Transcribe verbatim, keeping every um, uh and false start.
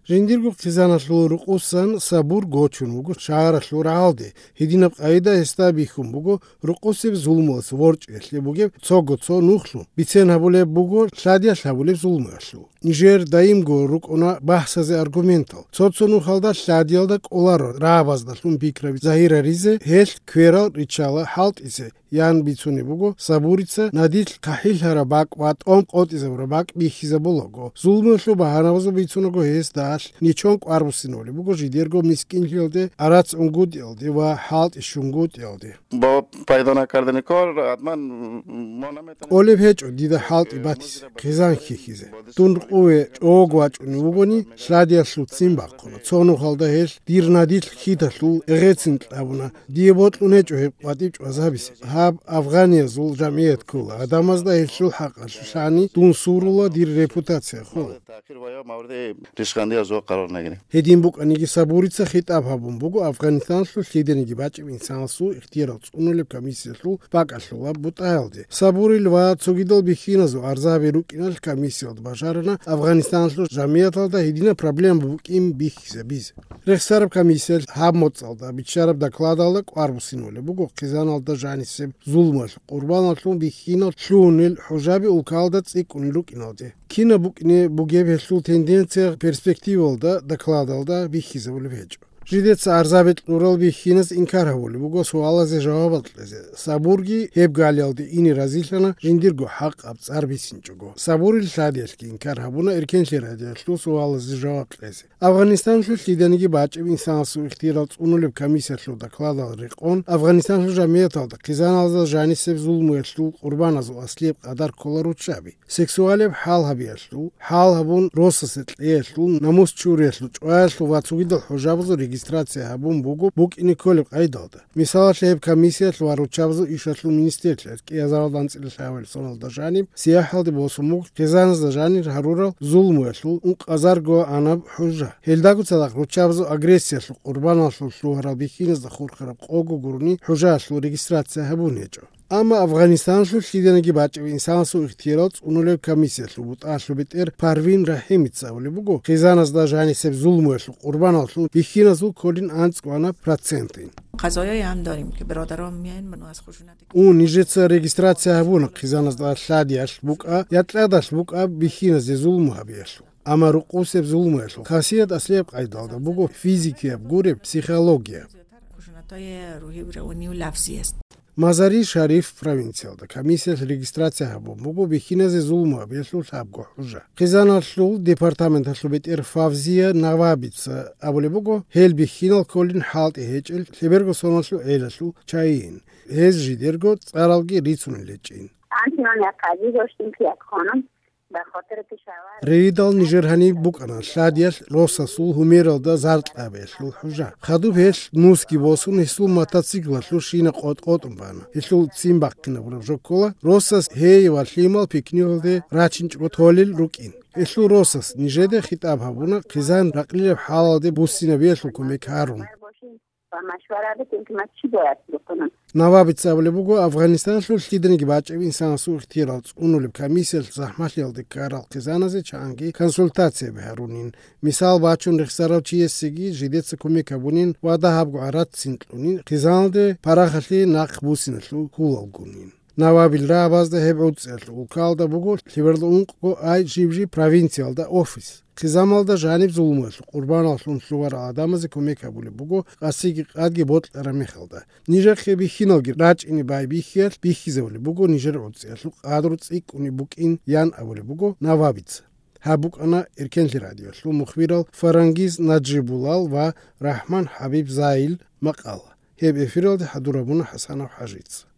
Жиндирго хъизаналъул рукъусан Сабур гочун вуго шагьаралъул рагӀалде. Гьединаб къайда гьесда бихьун буго рукъусеб зулмуялъ ворчӀиялъе бугеб цого цо нухлъун, бицен гьабулеб буго лъадиялъ гьабулеб зулмуялъул. Нижер даимго рукӀуна бахӀсазе аргументал. Цо-цо нухалда лъадиялда кӀоларо рагӀабаздалъун пикраби загьираризе, гьелъ кверал риччала хӀалтӀизе, ян бицунеб буго Сабурица, надилъ хъахӀиллъараб бакӀ ва тӀом къотӀизабураб бакӀ бихьизабулаго. Зулмуялъул багьанабазул бицунаго гьесда ничон кӀвар буссинавулеб буго жидерго мискинлъиялде, арац унгутӀиялде ва хӀалтӀи щунгутӀиялде. Бо пайдана карденикор, адман, мона метана. КӀолеб гьечӀо дида хӀалтӀи батизе, хъизан хьихьизе. Дун къуве чӀого вачӀунев вугони, лъадиялъул ццин бахъуна. Цо нухалда гьелъ дир надилъ хьиталъул эгъецин кьабуна. Дие бокьун гьечӀо гьеб къватӀиб чӀвазабизе. Гьаб афганиязул жамгӀият ккола. Гьадамазда гьелъул хӀакъалъулъани дун сурула, дир репутация хола. Гьедин букӀаниги, Сабурица хитӀаб гьабун буго Афганистаналъул лъиданиги бачӀеб инсанасул ихтиярал цӀунулеб комиссиялъул бакӀалъулаб бутӀаялде. Сабурил ва цогидал бихьиназул арзаби рукӀиналъ комиссиялда бажарана Афганистаналъул жамгӀияталда гьединаб проблема букӀин бихьизабизе. Рехсараб комиссиялъ гьаб моцӀалда биччараб докладалда кӀвар буссинавулеб буго хъизаналда жанисеб зулмуялъ къурбаналъул бихьинал лъугьунел хӀужаби улкалда цӀикӀкӀунел рукӀиналде. Кинаб букӀине бугеб гьелъул тенденция перспективалда докладалда бихьизабулеб гьечӀо. Жидеца арзаби кьурал бихьиназ инкар гьабулеб буго суалазе жавабал кьезе. Сабурги гьеб галиялде ине разилъана, жиндирго хӀакъаб цӀар бицинчӀого. Сабурил лъадиялъги инкар гьабуна эркенлъи радиоялъул суалазе жаваб кьезе. Афганистаналъул лъиданиги бачӀеб инсанасул ихтиярал цӀунулеб комиссиялъул докладал рекъон, Афганистаналъул жамгӀияталда хъизаналда жанисеб зулмуялъул къурбаназул аслияб къадар ккола руччаби. Сексуалияб хӀал гьабиялъул, хӀал гьабун росасе кьеялъул, намус чуриялъул, чӀваялъул ва цогидал хӀужабазул регистрация гьабун буго букӀине кколеб къайдалда. Мисалалъе, гьеб комиссиялъ ва руччабазул ишалъул министрлъиялъ кӀиазаралда анцӀила лъабабилеб соналда жаниб сияхӀалде босун буго хъизаназда жанир гьарурал зулмуялъул ункъазарго анаб хӀужа. Гьелдаго цадахъ руччабазул агрессиялъул къурбаналъул лъугьарал бихьиназда хурхараб къого гурони хӀужаялъул регистрация гьабун гьечӀо. Амма Афганистаналъул лъиданиги бачӀеб инсанасул ихтиярал цӀунулеб комиссиялъул бутӀалъуб бетӀер Парвин РахӀимица абулеб буго, хъизаназда жанисеб зулмуялъул къурбаналъул бихьиназул кколин анцӀгоанаб процентин. Қазояе ҳам дорем, ки бародарон меян, ману аз хушуна дек- Ун нижеца регистрация гьабуна хъизаназда лъадиялъ букӀа я тӀадалъ букӀа бихьиназе зулму гьабиялъул. Амма рукъусеб зулмуялъул хасият аслияб къайдалда буго физикияб гуреб, психологияб. Хушуна тое рухӀи бирев нив лафзиест. Мазари-Шариф провинциялда комиссиялъ регистрация гьабун буго бихьиназе зулму гьабиялъул лъабго хӀужа. Хъизаналъул департаменталъул бетӀер Фавзия Навабица абулеб буго, гьел бихьинал кколин хӀалтӀи гьечӀел лъеберго соналъул гӀелалъул чагӀиин. Гьез жидерго цӀаралги рицунел гьечӀин. Анцинан якъази гьощтин кият хъунун. Рейдал нижер гьаниб букӀана лъадиялъ росасул гьумералда заркьабиялъул хӀужа. Хадуб гьелъ нусги босун гьесул мотоциклалъул шина къотӀ-къотӀун бана. Гьелъул ццин бахъинабураб жо ккола, росас гьей ва лъимал пикнигьалде рачинчӀого толел рукӀин. Гьелъул росас нижеде хитӀаб гьабуна, хъизан ракълилеб хӀалалде буссинабиялъул кумек гьарун. Ва машвара бетӀер, ки мат чи бояц букӀунан. Навабица абулеб буго, Афганистаналъул лъиданиги бачӀеб инсанасул ихтиярал цӀунулеб комиссиялъ захӀмалъиялде ккарал хъизаназе чанги консультацияби гьарунин. Мисал бачун, рехсарав чиясеги жидеца кумек гьабунин ва дагьабго гӀарац цин кьунин, хъизаналде парахалъе нахъ буссиналъул хьулалгунин. Навабил рагӀабазда гьеб гӀуцӀиялъ улкалда буго лъеберла ункъго ай жиб-жиб провинциялда офис. Хъизамалда жаниб зулмуялъул къурбаналлъун лъугьарал гӀадамазе кумек гьабулеб буго къасиги къадги бокьараб мехалда. Нижехъе бихьиналги рачӀине байбихьиялъ бихьизабулеб буго нижер гӀуцӀиялъул къадру цӀикӀкӀунеб букӀин, ян абулеб буго Навабица. Гьаб букӀана Эркенлъи радиоялъул мухбирал Фарангиз Наджибулал ва РахӀман ХӀабиб Заил макъала. Гьеб эфиралде хӀадурабуна ХӀасанов ХӀажица.